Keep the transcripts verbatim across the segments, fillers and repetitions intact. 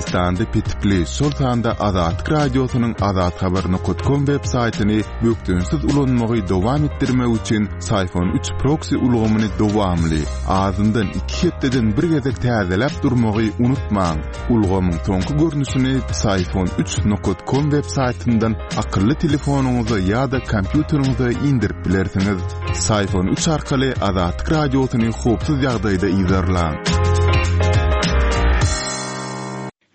Türkmenistanda petikli, şol sanda Azatlyk Radiosynyň azathabar nokat kom web saýtyny bökdençsiz ulanmagy dowam etdirmek üçin Psiphon üç proksi ulgamyny dowamly, azyndan iki hepdeden bir gezek täzeläp durmagy unutmaň. Ulgamyň soňky görnüşini Psiphon üç nokat kom web saýtyndan akylly telefonyňyza ýa-da kompýuteriňize indirip bilersiňiz. Psiphon üç arkaly Azatlyk Radiosyny howpsuz ýagdaýda yzarlaň.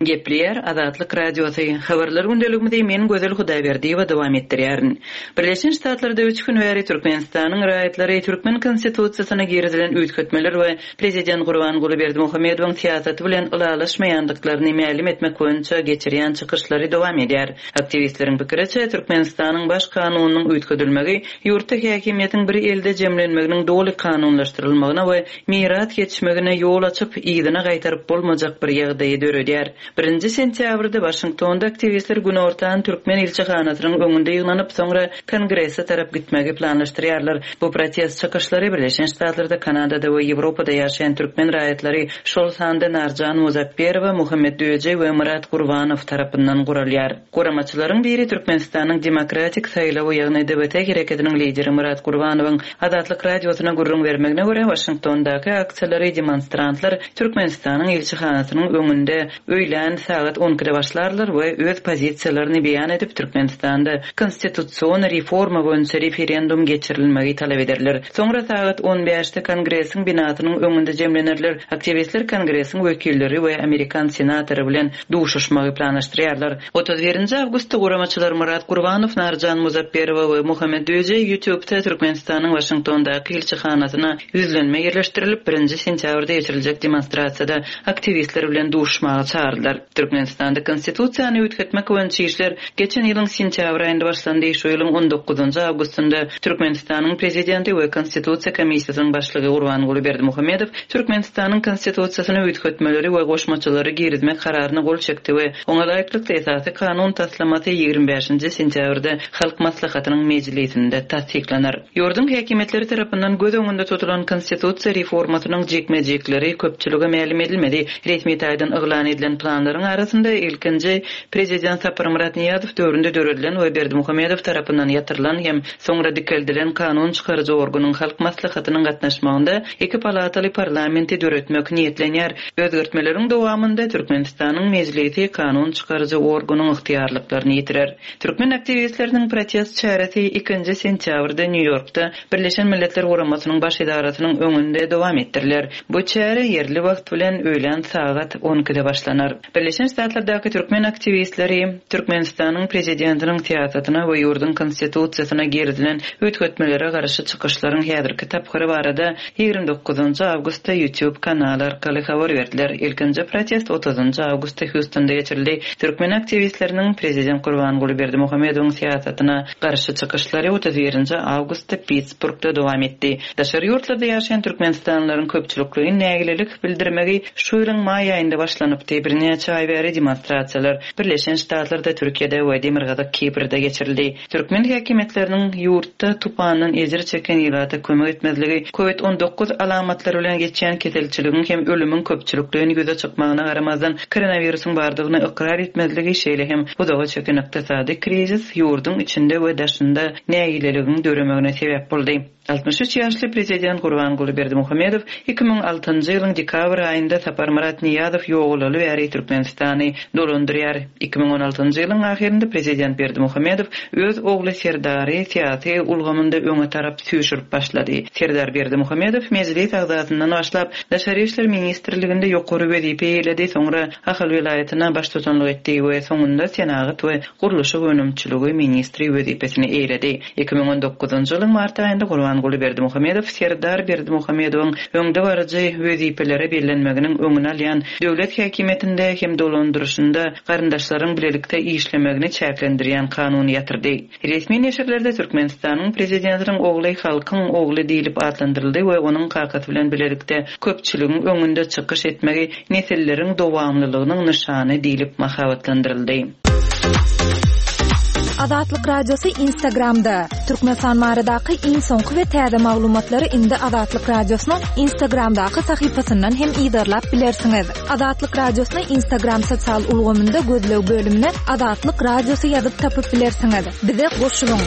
Gepleýär Azatlyk Radiosy. Habarlar gündeligimizi men Gözel Hudaýberdiýewa dowam etdirýärin. Birleşen Ştatlarda üç gün bäri Türkmenistanyň raýatlary Türkmen Konstitusiýasyna girizilen üýtgetmeler we Prezident Gurbanguly Berdimuhamedowyň syýasaty bilen ylalaşmaýandyklaryny mälim etmek boýunça geçirýän çykyşlary dowam edýär. Aktiwistleriň pikiriçe, Türkmenistanyň Baş kanunynyň üýtgedilmegi ýurtda häkimiýetiň bir elde jemlenmeginiň doly kanunlaşdyrylmagyna we miras geçmegine ýol açyp, yzyna gaýtaryp bolmajak bir ýagdaýy döredýär. Birinji sentýabrda Waşingtonda aktiwistler günortan Türkmen ilçihanasynyň öňünde ýygnanyp, soňra Kongrese tarap gitmegi planlaşdyrýarlar. Bu protest çykyşlary Birleşen Ştatlarda, Kanadada we Ýewropada ýaşaýan türkmen raýatlary, şol sanda Narjan Muzapberowa, Muhammet Döje we Myrat Gurbanow tarapyndan guralýar. Guramaçylaryň biri Türkmenistanyň Demokratik saýlawy, ýagny D B T hereketiniň lideri Myrat Gurbanowyň Azatlyk Radiosyna gürrüň bermegine görä, Waşingtondaky aksiýalary demonstrantlar Türkmenistanyň ilçihanasynyň öňünde öýlän sagat on ikide başlarlar we öz pozisiýalaryny beýan edip, Türkmenistanda konstitusion reforma boýunça referendum geçirilmegi talap ederler. Soňra sagat on bäşde Kongresiň binasynyň öňünde jemlenerler. Aktiwistler Kongresiň wekilleri we Amerikan senatory bilen duşuşmagy planlaşdyrýarlar. Otuz birinji awgustda guramaçylar Myrat Gurbanow, Narjan Muzapberowa we Muhammet Döje YouTube'da Türkmenistanyň Waşingtondaky ilçihanasyna ýüzlenme ýerleşdirilip, birinji sentýabrda geçiriljek demonstrasiýada aktiwistler bilen duşmaga çağırdylar. Türkmenistanda konstitusiýany üýtgetmek boýunça işler geçen ýylyň sentýabr aýynda başlandy. Şu ýylyň on dokuzynjy awgustynda Türkmenistanyň prezidenti we Konstitusiýa komissiýasynyň başlygy Gurbanguly Berdimuhamedow Türkmenistanyň konstitusiýasyny üýtgetmeleri we goşmaçalary girizmek kararyna gol çekdi we oňa laýyklykda esasy kanun taslamasy ýigrimi bäşinji sentýabrda Halk Maslahatynyň mejlisinde tassyklanar. Ýurduň häkimiýetleri tarapyndan göz öňünde tutulan konstitusiýa reformasynyň jikme-jikleri köpçülige mälim edilmedi. Resmi taýdan yglan edilen planlaryň arasynda ilkinji prezident Saparmyrat Nyýazow döwründe döredilen we Berdimuhamedow tarapyndan ýatyrylan hem soňra dikeldilen kanun çykaryjy organyň Halk Maslahatynyň gatnaşmagynda iki palataly parlamenti döretmek niýetlenýär. Özgertmeleriň dowamynda Türkmenistanyň mejlisi kanun çykaryjy organyň ygtyýarlyklaryny ýitirer. Türkmen aktiwistleriniň protest çäresi ikinji sentýabrda Nýu-Ýorkda Birleşen Milletler Guramasynyň baş edarasynyň öňünde dowam etdiriler. Bu çäre ýerli wagt bilen öýlän sagat on ikide başlanar. Birleşen Ştatlardaky türkmen aktiwistleri Türkmenistanyň prezidentiniň syýasatyna we ýurduň konstitusiýasyna girizilen üýtgetmelere garşy çykyşlaryň häzirki tapgyry barada ýigrimi dokuzynjy awgustda YouTube kanaly arkaly habar berdiler. Ilkinji protest otuzynjy awgustda Houstonda geçirildi. Türkmen aktiwistleriniň prezident Gurbanguly Berdimuhamedowyň syýasatyna garşy çykyşlary otuz birinji awgustda Pittsburghda dowam etdi. Daşary ýurtlarda ýaşaýan türkmenistanlylaryň köpçülikleýin nägilelik bildirmegi şu ýylyň maý aýynda başlanypdy. Birnäçe aý bäri demonstrasiýalar Birleşen Ştatlarda, Türkiýede we Demirgazyk Kiprde geçirildi. Türkmen häkimiýetleriniň ýurtda tupandan ejir çeken ilata kömek etmezligi, COVID on dokuz alamatlary bilen geçýän keselçiligiň hem ölümiň köpçülikleýin ýüze çykmagyna garamazdan koronawirusyň bardygyny ykrar etmezligi, şeýle hem uzaga çeken ykdysady krizis ýurduň içinde we daşynda nägileligiň döremegine sebäp boldy. Altmyş üç ýaşly prezident Gurbanguly Berdimuhamedow iki müň altynjy ýylyň dekabr aýynda Saparmyrat Nyýazow ýogalaly bäri Türkmenistany dolandyrýar. Iki müň on altynjy ýylyň ahyrynda prezident Berdimuhamedow öz ogly Serdary syýasy ulgamynda öňe tarap süýşürip başlady. Serdar Berdimuhamedow mejlis agzasyndan başlap Daşary işler ministrliginde ýokary wezipe eýeledi, soňra Ahal welaýatyna baştutanlyk etdi we soňunda senagat we gurluşyk önümçiligi ministri wezipesini eýeledi. Iki müň on dokuzynjy ýylyň mart aýynda Gurbanguly Berdimuhamedow Serdar Berdimuhamedowyň öňde baryjy wezipelere bellenmeginiň öňüni alýan döwlet häkimiýetinde hem dolandyryşynda garyndaşlaryň bilelikde işlemegini çäklendirýän kanuny ýatyrdy. Resmi neşirlerde Türkmenistanyň prezidentiniň ogly halkyň ogly diýlip atlandyryldy we onuň kakasy bilen bilelikde köpçüligiň öňünde çykyş etmegi nesilleriň dowamlylygynyň nyşany diýlip mahabatlandyryldy. Azatlyk Radiosy Instagramda. Türkmenistan baradaky iň soňky we täze maglumatlary indi Azatlyk Radiosynyň Instagramdaky sahypasyndan hem yzarlap bilersiňiz. Azatlyk Radiosyny Instagram sosial ulgamynda gözleg bölümine Azatlyk Radiosy ýazyp tapyp bilersiňiz. Bize goşulyň.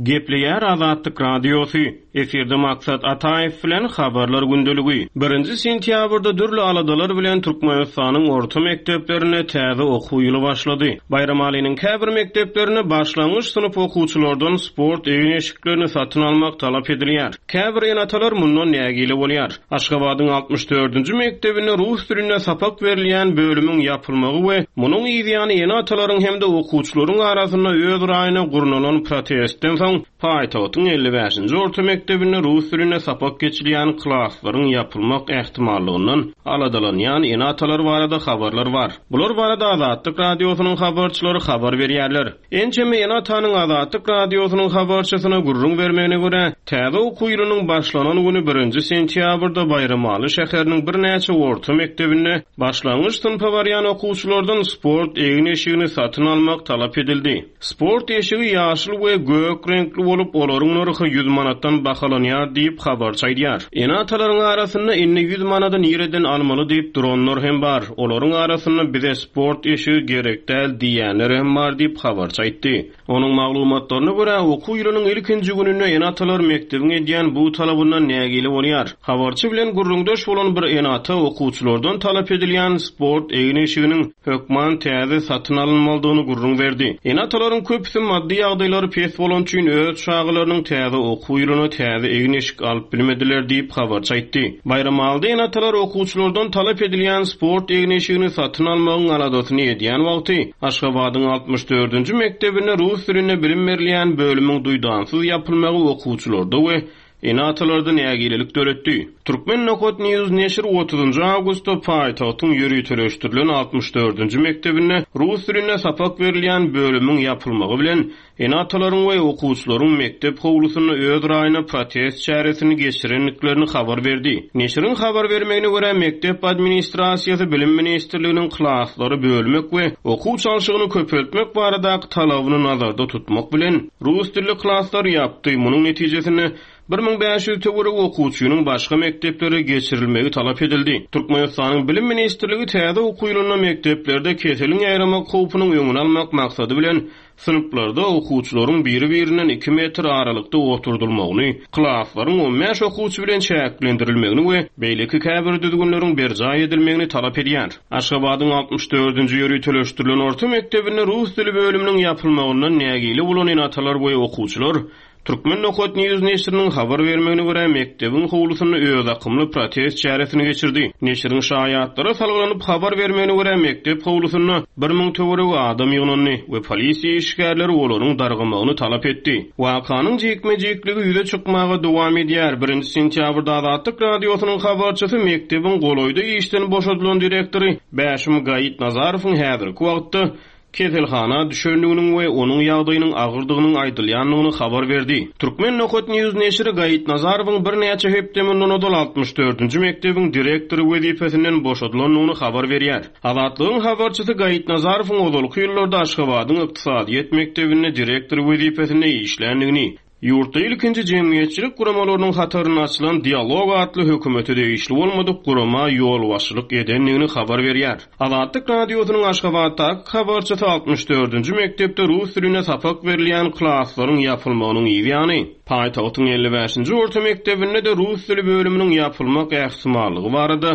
Gepleýär Azatlyk Radiosy. Efirde Maksat Ataýew bilen habarlar gündeligi. Birinji sentýabrda dürli aladalar bilen Türkmenistanyň orta mekdeplerinde täze okuw ýyly başlady. Baýramalynyň käbir mekdeplerinde başlangyç synp okuwçylardan sport egin-eşiklerini satyn almak talap edilýär. Käbir ene-atalar mundan nägile bolýar. Aşgabadyň altmyş dördünji mekdebinde rus dilinde sapak berilýän bölümiň ýapylmagy we munuň ýany ene-atalaryň hem-de okuwçylaryň arasynda öz raýyna gurnalan protestden soň paýtagtyň elli bäşinji orta mekdebinde rus dilinde sapak geçilýän klaslaryň ýapylmak ähtimallygyndan aladalanýan ene-atalar barada habarlar bar. Bular barada Azatlyk Radiosynyň habarçylary habar berýärler. Ençeme ene-atanyň Azatlyk Radiosynyň habarçysyna gürrüň bermegine görä, täze okuw ýylynyň başlanan güni birinji sentýabrda Baýramaly şäheriniň birnäçe orta mekdebinde başlangyç synpa barýan okuwçylardan sport egin-eşigini satyn almak talap edildi. Sport eşigi ýaşyl we gök reňkli bolup, olaryň nyrhy ýüz manatdan bahalanýar diýip habarçy aýdýar. Ene-atalaryň arasynda indi ýüz manady nireden almaly diýip duranlar hem bar. Olaryň arasynda bize sport eşigi gerek däl diýenler hem bar diýip habarçy aýtdy. Onuň maglumatlaryna görä, okuw ýylynyň ilkinji gününde ene-atalar mekdebiň edýän bu talabyndan nägile bolýar. Habarçy bilen gürrüňdeş bolan bir ene-ata okuwçylardan talap edilýän sport egin-eşiginiň hökman täze satyn alynmalydygyny gürrüň berdi. Ene-atalaryň köpüsi maddy ýagdaýlary pes bolan üçin öz çagalarynyň täze okuw ýylyna täze egin-eşik alyp bilmediler diýip habarçy aýtdy. Baýramalyda ene-atalar okuwçylardan talap edilýän sport egin-eşigini satyn almagyň aladasyny edýän wagty Aşgabadyň altmyş dördünji mekdebinde rus dilinde bilim berilýän bölümiň duýdansyz ýapylmagy okuwçylarda we ene-atalarda nägilelik döretdi. Türkmen Nokat News neşir otuzynjy awgustda paýtagtyň ýöriteleşdirilen altmyş dördünji mekdebinde rus dilinde sapak berilýän bölümiň ýapylmagy bilen ene-atalaryň we okuwçylaryň mekdep howlusynda öz raýyna protest çäresini geçirendiklerini habar berdi. Neşiriň habar bermegine görä, mekdep administrasiýasy Bilim Ministrliginiň klaslary bölmek we okuw çalşygyny köpeltmek baradaky talabyny nazarda tutmak bilen rus dilli klaslary ýapdy. Munuň netijesinde bir müň bäş ýüz töweregi okuwçynyň başga mekdeplere geçirilmegi talap edildi. Türkmenistanyň Bilim Ministrligi täze okuw ýylynda mekdeplerde keseliň ýaýramak howpunyň öňüni almak maksady bilen synplarda okuwçylaryň biri-birinden iki metr aralykda oturdylmagyny, klaslaryň on bäş okuwçy bilen çäklendirilmegini we beýleki käbir düzgünleriň berjaý edilmegini talap edýär. Aşgabadyň altmyş dördünji ýöriteleşdirilen orta mekdebinde rus dili bölüminiň ýapylmagyndan nägile bolan ene-atalar we okuwçylar Türkmen Nokat News neşiriniň habar bermegine görä, mekdebiň howlusynda öz akymly protest çäresini geçirdi. Neşiriň şaýatlara salgylanyp habar bermegine görä, mekdep howlusynda bir müň töweregi adam ýygnandy we polisiýa işgärleri olaryň dargamagyny talap etdi. Wakanyň jikme-jikligi ýüze çykmaga dowam edýär. Birinji sentýabrda Azatlyk Radiosynyň habarçysy mekdebiň golaýda işden boşadylan direktory Bäşim Gaýytnazarowyň häzirki wagtda keselhana düşendiginiň we onuň ýagdaýynyň agyrdygynyň aýdylýandygyny habar berdi. Türkmen Nokat News neşiri Gaýytnazarowyň birnäçe hepde mundan ozal altmyş dördünji mekdebiň direktory wezipesinden boşadylandygyny habar berýär. Azatlygyň habarçysy Gaýytnazarowyň ozalky ýyllarda Aşgabadyň ykdysadyýet mekdebinde direktor wezipesinde işländigini, ýurtda ilkinji jemgyýetçilik guramalarynyň hatarynda açylan Dialog atly hökümete degişli bolmadyk gurama ýolbaşçylyk edendigini habar berýär. Azatlyk Radiosynyň Aşgabatdaky habarçysy altmyş dördünji mekdepde rus dilinde sapak berilýän klaslaryň ýapylmagynyň ýany, paýtagtyň elli bäşinji orta mekdebinde de rus dili bölüminiň ýapylmak ähtimallygy barada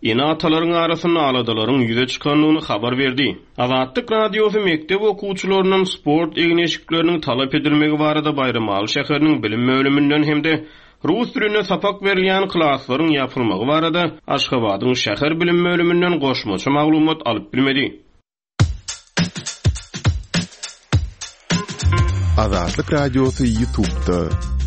ene-atalaryň arasynda aladalaryň ýüze çykandygyny habar berdi. Azatlyk Radiosy mekdep okuwçylaryndan sport egin-eşikleriniň talap edilmegi barada Baýramaly şäheriniň bilim bölüminden hem-de rus dilinde sapak berilýän klaslaryň ýapylmagy barada Aşgabadyň şäher bilim bölüminden goşmaça maglumat alyp bilmedi. Azatlyk Radiosy YouTube'da.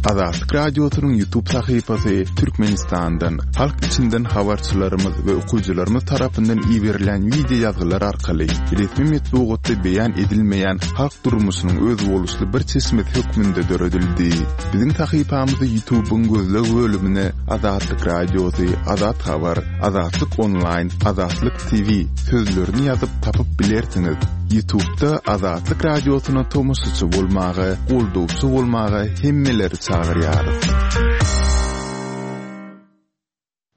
Azatlyk Radiosynyň YouTube sahypasy Türkmenistandan, halk içinden habarçylarymyz we okyjylarymyz tarapyndan iberilen wideo ýazgylar arkaly resmi metbugatda beýan edilmeýän halk durmuşynyň özboluşly bir çeşmesi hökmünde döredildi. Biziň sahypamyzy YouTube'yň gözleg bölümine Azatlyk Radiosy, Azat Habar, Azatlyk Online, Azatlyk T V sözlerini ýazyp tapyp bilersiňiz. YouTube'da Azatlyk Radiosyna tomaşaçy bolmaga, goldawçy bolmaga hemmeleri çagyrýarys.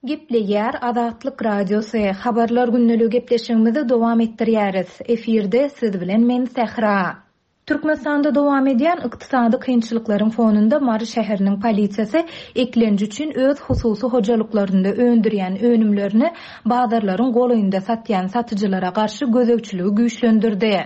Gepleýär Azatlyk Radiosy. Habarlar gündeligi gepleşigimizi dowam etdirýäris. Efirde siz bilen men Sähra. Türkmenistanda dowam edýän ykdysady kynçylyklaryň fonunda Mary şäheriniň polisiýasy eklenji üçin öz hususy hojalyklarynda öndürýän önümlerini bazarlaryň golaýynda satýan satyjylara garşy gözegçiligi güýçlendirdi.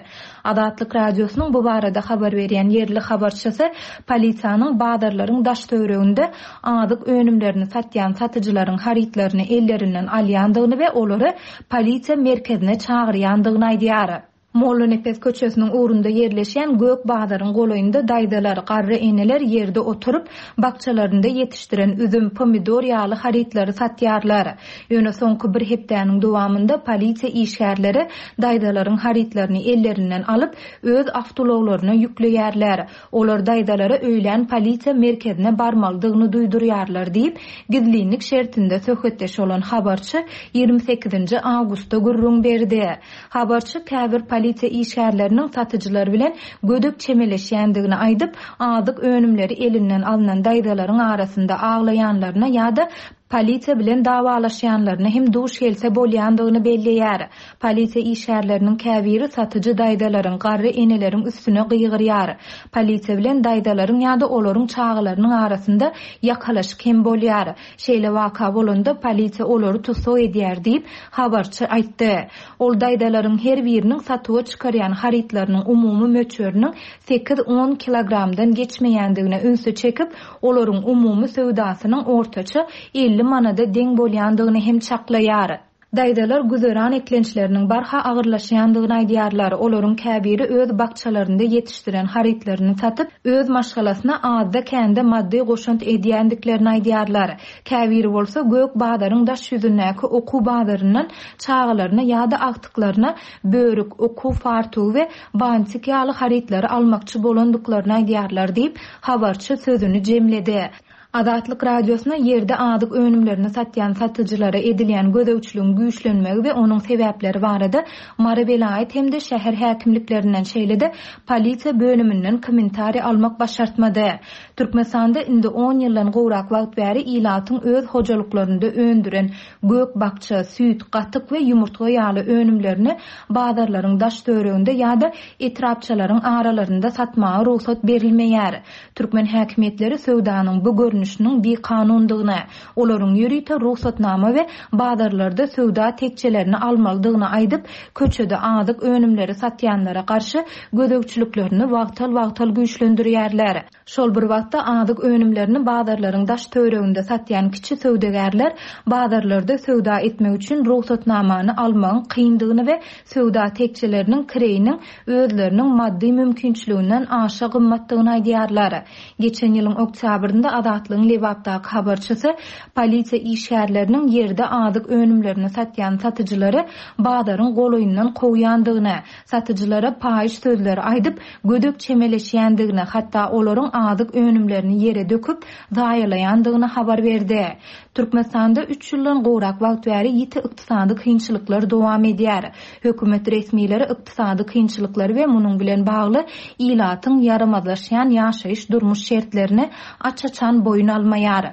Azatlyk Radiosynyň bu barada habar berýän ýerli habarçysy polisiýanyň bazarlaryň daş töwereginde azyk önümlerini satýan satyjylaryň harytlaryny ellerinden alýandygyny we olary polisiýa merkezine çagyrýandygyny aýdýar. Mollanepes köçesiniň ugrunda ýerleşen Gök bazaryň golaýynda daýzalar, garry eneler ýerde oturyp, bakjalarynda ýetişdiren üzüm, pomidor ýaly harytlary satýarlar. Ýöne soňky bir hepdäniň dowamynda polisiýa işgärleri daýzalaryň harytlaryny ellerinden alyp, öz awtoulaglaryna ýükleýärler. Olar daýzalara öýlän polisiýa merkezine barmalydygyny duýdurýarlar diýip, gizlinlik şertinde söhbetdeş bolan habarçy ýigrimi sekizinji awgustda gürrüň berdi. Habarçy käbir polisiýa işgärleriniň satyjylar bilen gödek çemeleşýändigini aýdyp, azyk önümleri elinden alynan daýzalaryň arasynda aglaýanlaryna ýa-da polisiýa bilen dawalaşýanlaryna hem duş gelse bolýandygyny belleýär. Polisiýa işgärleriniň käbiri satyjy daýzalaryň, garry eneleriň üstüne gygyrýar. Polisiýa bilen daýzalaryň ýa-da olaryň çagalarynyň arasynda ýakalaşyk hem bolýar. Şeýle waka bolanda polisiýa olary tussag edýär diýip habarçy aýtdy. Ol daýzalaryň her biriniň satuwa çykarýan harytlarynyň umumy möçberiniň sekiz on kilogramdan geçmeýändigine ünsi çekip, olaryň umumy söwdasynyň ortaça elli manada deň bolýandygyny hem çaklaýar. Daýzalar güzeran eklençleriniň barha agyrlaşýandygyny aýdýarlar. Olaryň käbiri öz bakjalarynda ýetişdiren harytlaryny satyp, öz maşgalasyna azda kände maddy goşant edýändiklerini aýdýarlar. Käbiri bolsa Gök bazaryň daş ýüzündäki okuw bazaryndan çagalaryna ýa-da agtyklaryna börük, okuw fartugy we bantik ýaly harytlary almakçy bolandyklaryny aýdýarlar diýip, habarçy sözüni jemledi. Azatlyk Radiosyna ýerde azyk önümlerini satýan satyjylara edilýän gözegçiligiň güýçlenmegi we onuň sebäpleri barada Mary welaýat hem-de şäher häkimliklerinden şeýle-de polisiýa bölüminden kommentariý almak başartmady. Türkmenistanda indi on ýyldan gowrak wagt bäri ilatyň öz hojalyklarynda öndüren gök bakja, süýt, gatyk we ýumurtga ýaly önümlerini bazarlaryň daş töwereginde ýa-da etrapçalaryň aralarynda satmaga rugsat berilmeýär. Türkmen häkimiýetleri söwdanyň bu görnüşiniň bikanundygyny, olaryň ýörite rugsatnama we bazarlarda söwda tekçelerini almalydygyny aýdyp, köçede azyk önümleri satýanlara garşy gözegçiliklerini wagtal-wagtal güýçlendirýärler. Şol bir wagtda azyk önümlerini bazarlaryň daş töwereginde satýan kiçi söwdagärler bazarlarda söwda etmek üçin rugsatnamany almagyň kyndygyny we söwda tekçeleriniň kireýiniň özleriniň maddy mümkinçiliginden aşa gymmatdygyny aýdýarlar. Geçen ýylyň oktýabrynda Azatlygyň Lebapdaky habarçysy polisiýa işgärleriniň ýerde azyk önümlerini satýan satyjylary bazaryň golaýyndan kowýandygyny, satyjylara paýyş sözleri aýdyp, gödek çemeleşýändigini, hatda olaryň azyk önümlerini ýere döküp, zaýalaýandygyny habar berdi. Türkmenistanda üç ýyldan gowrak wagt bäri ýiti ykdysady kynçylyklar dowam edýär. Hökümet resmileri ykdysady kynçylyklary we munuň bilen bagly ilatyň ýaramazlaşýan ýaşaýyş durmuş şertlerini aç-açan boýun almaýar.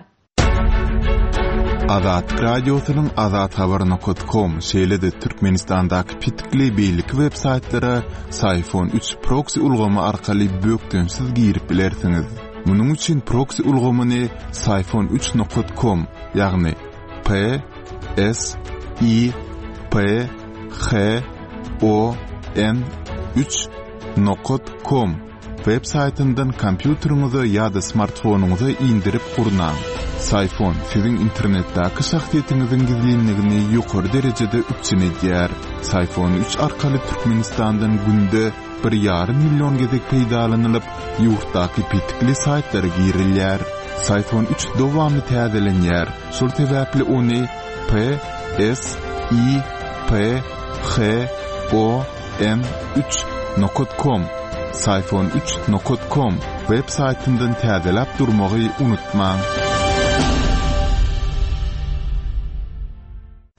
Azatlyk Radiosynyň azathabar nokta com şeýle-de Türkmenistandaky petikli beýleki web saýtlara Psiphon üç proxy ulgamy arkaly bökdençsiz girip bilersiňiz. Munuň üçin proxy ulgamyny Psiphon üç nokta com, ýagny P S I P H O N üç nokta com web saýtyndan kompýuteriňize ýa-da smartfonyňyza indirip gurnaň. Psiphon siziň internetdäki şahsyýetiňiziň gizlinligini ýokary derejede üpjün edýär. Psiphon üç arkaly Türkmenistandan günde bir ýarym million gezek peýdalanylyp, ýurtdaky petikli saýtlara girilýär. Psiphon üç dowamly täzelenýär. Şol sebäpli ony P S I P H O N üç nokat com Psiphon üç nokat com web saýtyndan täzeläp durmagy unutmaň.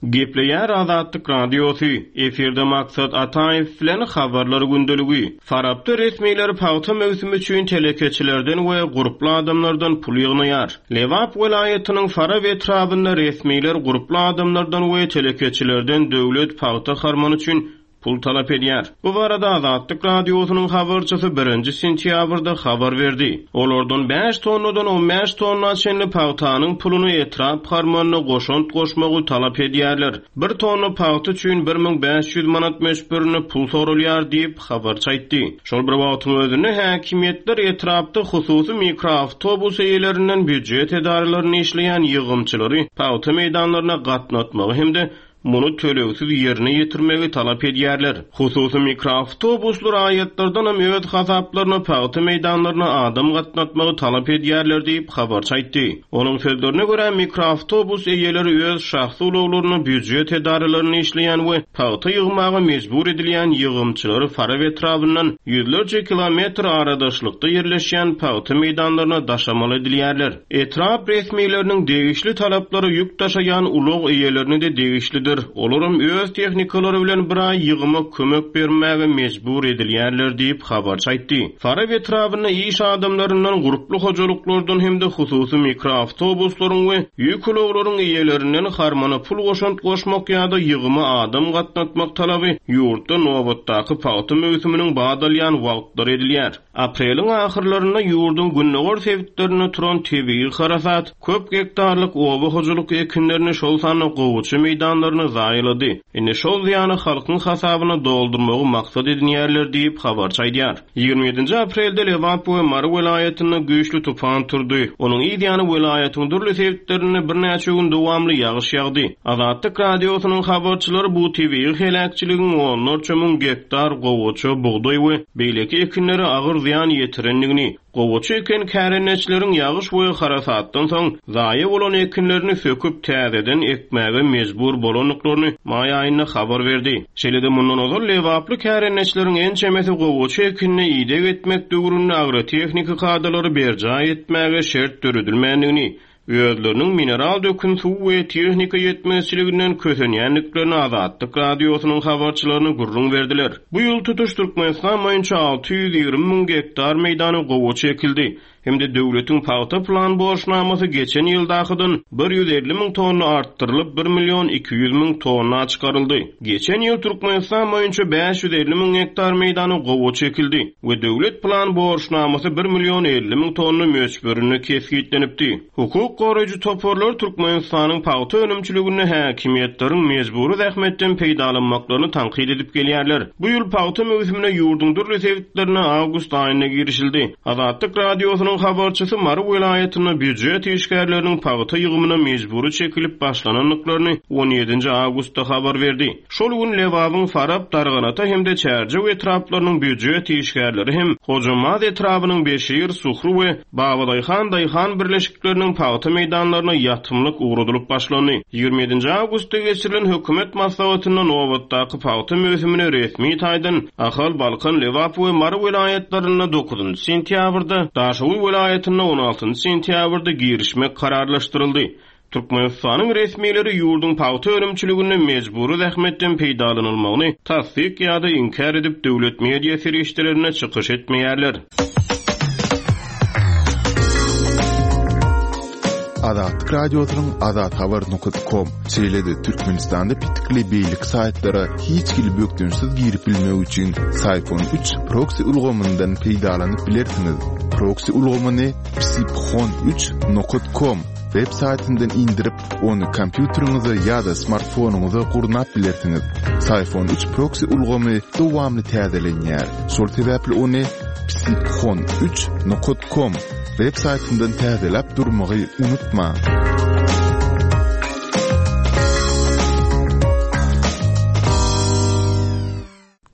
Gepleýär Azatlyk Radiosy, efirde Maksat Ataýew bilen habarlar gündeligi. Farapda resmiler pagta möwsümi üçin telekeçilerden we gurply adamlardan pul ýygnaýar. Lebap welaýatynyň Farap etrabynda resmiler gurply adamlardan we telekeçilerden döwlet pagta harmany üçin pul talap edýär. Bu barada Azatlyk Radiosynyň habarçysy birinji sentýabrda habar berdi. Olardan bäş tonnadan on bäş tonna çenli pagtanyň puluny etrap harmanyna goşant goşmagy talap edýärler. Bir tonna pagta üçin bir müň bäş ýüz manat möçberinde pul sorulýar diýip habarçy aýtdy. Şol bir wagtyň özünde häkimiýetler etrapda hususy mikroawtobus eýelerinden býujet edaralaryny işleýän ýygymçylary pagta meýdanlaryna gatnatmagy hem-de muny tölegsiz ýerine ýetirmegi talap edýärler. Hususy mikroawtobuslar raýatlardan hem öz hasaplaryna pagta meýdanlaryna adam gatnatmagy talap edýärler diýip habarçy aýtdy. Onuň sözlerine görä mikroawtobus eýeleri öz şahsy ulaglaryna býujet edaralaryny işleýän we pagta ýygmaga mejbur edilýän ýygymçylary Farap etrabyndan ýüzlerçe kilometr aradaşlykda ýerleşýän pagta meýdanlaryna daşamaly edilýärler. Etrap resmileriniň degişli talaplary ýük daşaýan ulag eýelerine de degişlidir. Olaram öz tehnikalary bilen bir aý ýygyma kömek bermäge mejbur edilýärler diýip habarçy aýtdy. Farap etrabynda iş adamlaryndan, gurply hojalyklardan hem-de hususy mikroawtobuslaryň we ýük ulaglaryň eýelerinden harmana pul goşant goşmak ýa-da ýygyma adam gatnatmak talaby ýurtda nobatdaky pagta möwsüminiň badalýan wagtlary edilýär. Apreliň ahyrlarynda ýurduň gündogar sebitlerinde turan tebigy harasat köp gektarlyk oba hojalyk ekinlerini şol sanda gowaça meýdanlaryny zaýalady. Indi şol zyýany halkyň hasabyna doldurmagy maksat edinýärler diýip habarçy aýdýar. Ýigrimi ýedinji aprelde Lebap we Mary welaýatynda güýçli tupan turdy. Onuň yz ýany welaýatyň dürli sebitlerinde birnäçe gün dowamly ýagyş ýagdy. Azatlyk Radiosynyň habarçylary bu tebigy heläkçiligiň onlarça müň gektar gowaça, bugdaý we beýleki ekinlere agyr zyýan ýetirendigini, gowaça eken kärendeçileriň ýagyş we harasatdan soň zaýa bolan ekinlerini söküp täzeden ekmäge mejbur bolandyklaryny maý aýynda habar berdi. Şeýle-de mundan ozal Lebaply kärendeçileriň ençemesi gowaça ekinine ideg etmek döwründe agrotehniki kadalary berjaý etmäge şert döredilmändigini, özleriniň mineral dökün suw we tehnika ýetmezçiliginden kösenýändiklerini Azatlyk Radiosynyň habarçylaryna gürrüň berdiler. Bu ýyl tutuş Türkmenistan boýunça alty ýüz ýigrimi müň gektar meýdany gowaça ekildi. Hem-de döwletiň pagta plan borçnamasy geçen ýyldakydan bir ýüz elli müň tonna artdyrylyp bir million iki ýüz müň tonna çykaryldy. Geçen ýyl Türkmenistan boýunça bäş ýüz elli müň gektar meýdany gowaça ekildi we döwlet plan borçnamasy bir million elli müň tonna möçberinde kesgitlenipdi. Hukuk goraýjy toparlar Türkmenistanyň pagta önümçiliginde häkimiýetleriň mejbury zähmetden peýdalanmaklaryny tankyt edip gelýärler. Bu ýyl pagta möwsümine ýurduň dürli sebitlerine awgust aýynda girişildi. Azatlyk Radiosynyň habarçysy Mary welaýatynda býujet işgärleriniň pagta ýygymyna mejbury çekilip başlanandyklaryny on ýedinji awgustda habar berdi. Şol gün Lebabyň Farap, Darganata hem-de Çärjew etraplarynyň býujet işgärleri hem Hojambaz etrabynyň Beşir, Suhru we Babadaýhan Daýhan birleşikleriniň pagta meýdanlaryna ýatymlyk ugradylyp başlandy. Ýigrimi ýedinji awgustda geçirilen hökümet maslahatynda nobatdaky pagta möwsümine resmi taýdan Ahal, Balkan, Lebap we Mary welaýatlarynda dokuzynjy sentýabrda, Daşoguz welaýatynda on altynjy sentýabrda girişmek kararlaşdyryldy. Türkmenistanyň resmileri ýurduň pagta önümçiliginde mejbury zähmetden peýdalanylmagyny tassyk ýa-da inkär edip döwlet media serişdelerine çykyş etmeýärler. Azatlyk Radiosynyň Azat Habar nokta com şeýle-de Türkmenistanda pitikli beýleki saýtlara hiç hili bökdençsiz girip bilmek üçin Psiphon üç proxy ulgamyndan peýdalanyp bilersiňiz. Proxy ulgamyny psiphon üç nokta com web saýtyndan indirip, ony kompýuteriňize ýa-da smartfonyňyza gurnap bilersiňiz. Psiphon üç proxy ulgamy dowamly täzelenýär. Şol sebäpli ony psiphon üç nokta com web saýtyndan täzeläp durmagy unutma.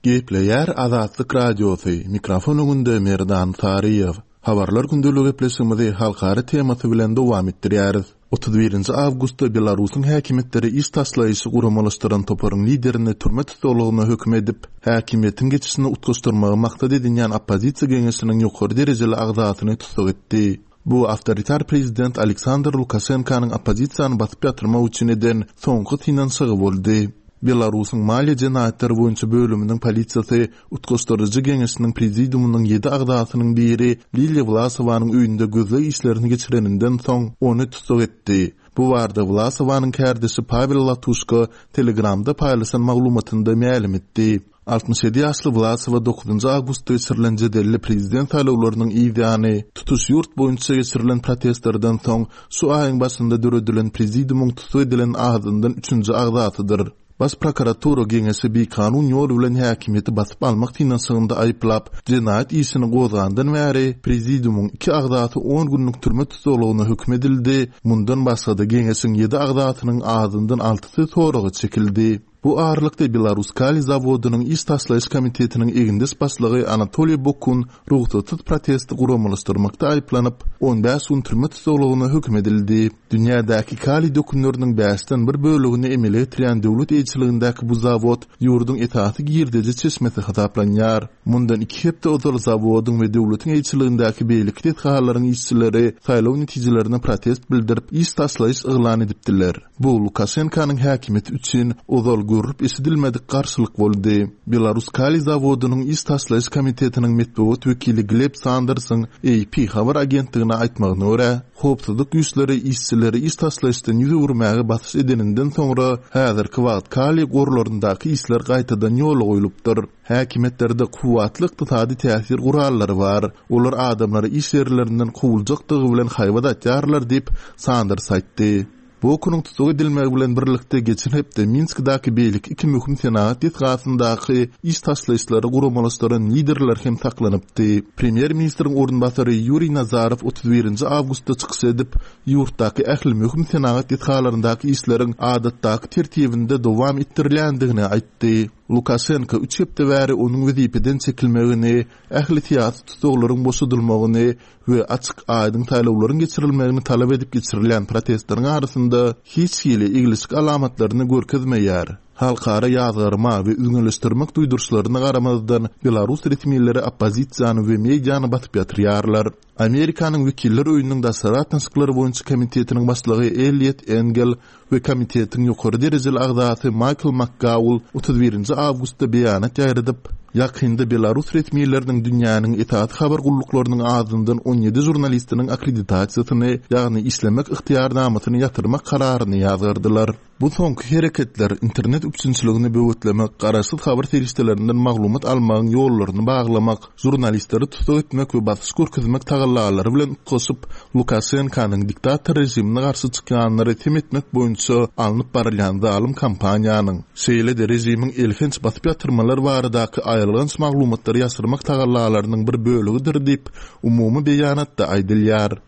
Gepleýär Azatlyk Radiosy, mikrofon öňünde Merdan Saryýew. Habarlar gündeligi gepleşigimizi halkara temasy bilen dowam etdirýäris. Otuz birinji awgustda Belarusyň häkimiýetleri iş taşlaýyşy guramalaşdyran toparyň liderini türme tussaglygyna höküm edip, häkimiýetiň geçişini utgaşdyrmagy maksat edinýän oppozisiýa geňeşiniň ýokary derejeli agzasyny tussag etdi. Bu awtoritar prezident Aleksandr Lukaşenkanyň oppozisiýany basyp ýatyrmak üçin eden soňky synanyşygy boldy. Belarusyň maliýe jenaýatlary boýunça bölüminiň polisiýasy utgaşdyryjy geňeşiniň prezidiumynyň ýedi agzasynyň biri Liliýa Wlasowanyň öýünde gözleg işlerini geçireninden soň ony tussag etdi. Bu barada Wlasowanyň kärdeşi Pawel Latuşka Telegramda paýlaşan maglumatynda mälim etdi. Altmyş ýedi ýaşly Wlasowa dokuzynjy awgustda geçirilen jedelli prezident saýlawlarynyň yzýany tutuş ýurt boýunça geçirilen protestlerden soň şu aýyň başynda döredilen prezidiumyň tussag edilen azyndan üçünji agzasydyr. Baş prokuratura geňeşi bikanun ýol bilen häkimiýeti basyp almak synanyşygynda aýyplap, jenaýat işini gozgandan bäri prezidiumyň iki agzasy on günlük türme tussaglygyna höküm edildi, mundan başga-da geňeşiň ýedi agzasynyň azyndan altysy soraga çekildi. Bu aralykda Belaruskaliý zawodynyň iş taşlaýyş komitetiniň egindeş başlygy Anatoliý Bokun rugsatsyz protesti guramalaşdyrmakda aýyplanyp, on bäş gün türme tussaglygyna höküm edildi. Dünýädäki kaliý dökünleriniň bäşden bir bölegini emele getirýän döwlet eýeçiligindäki bu zawod ýurduň esasy girdeji çeşmesi hasaplanýar. Mundan iki hepde ozal zawodyň we döwletiň eýeçiligindäki beýleki desgalaryň işçileri saýlaw netijelerine protest bildirip, iş taşlaýyş yglan edipdiler. Bu Lukaşenkanyň häkimiýeti üçin ozal görülip eşidilmedik garşylyk boldy. Belarus kaliý zawodynyň iş taşlaýyş komitetiniň metbugat wekili Gleb Sandersiň A P habar agentligine aýtmagyna görä, howpsuzlyk güýçleri işçileri iş taşlaýyşdan ýüz öwürmäge basyş edeninden soňra häzirki wagt kaliý gorlaryndaky işler gaýtadan ýola goýlupdyr. Häkimiýetlerde kuwwatly ykdysady täsir gurallary bar. Olar adamlary iş ýerlerinden kowuljakdygy bilen haýbat atýarlar diýip Sanders aýtdy. Bokunyň tussag edilmegi bilen birlikde geçen hepde Minskdäki beýleki iki möhüm senagat desgasyndaky iş taşlaýyşlary guramalaşdyran liderler hem saklanypdy. Premýer-ministriň orunbasary Ýuriý Nazarow otuz birinji awgustda çykyş edip, ýurtdaky ähli möhüm senagat desgalaryndaky işleriň adatdaky tertibinde dowam etdirilýändigini aýtdy. Lukaşenko üç hepde bäri onuň wezipeden çekilmegini, ähli syýasy tussaglaryň boşadylmagyny we açyk aýdyň saýlawlaryň geçirilmegini talap edip geçirilýän protestleriň arasynda hiç hili eglişik alamatlaryny görkezmeýär. Halkara ýazgarma we üzňeleşdirmek duýduryşlaryna garamazdan Belarus resmileri oppozisiýany we mediany basyp ýatyrýarlar. Amerikanyň wekiller öýüniň daşary gatnaşyklary boýunça komitetiniň başlygy Elliot Engel we komitetiň ýokary derejeli agzasy Michael McGaul otuz birinji awgustda beýanat ýaýradyp, ýakynda Belarus resmileriniň dünýäniň esasy habar gulluklarynyň azyndan on ýedi žurnalistiniň akkreditasiýasyny, ýagny işlemek ygtyýarnamasyny ýatyrmak kararyny ýazgardylar. Bu soňky hereketler internet üpjünçiligini böwetlemek, garaşsyz habar serişdelerinden maglumat almagyň ýollaryny baglamak, žurnalistleri tussag etmek we basyş görkezmek tagallalary bilen utgaşyp, Lukaşenkanyň diktator režimine garşy çykýanlary sem etmek boýunça alnyp barylýan zalym kampaniýanyň, şeýle-de režimiň elhenç basyp ýatyrmalar baradaky aýylganç maglumatlary ýaşyrmak tagallalarynyň bir bölegidir diýip, umumy beýanatda aýdylýar.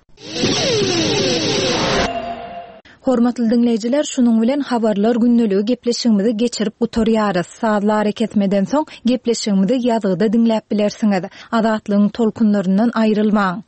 Hormatly dinleýjiler, şunuň bilen habarlar gündeligi gepleşigimizi geçirip gutarýarys. Sazly arakesmeden soň gepleşigimizi ýazgyda diňläp bilersiňiz. Azatlygyň tolkunlaryndan aýrylmaň.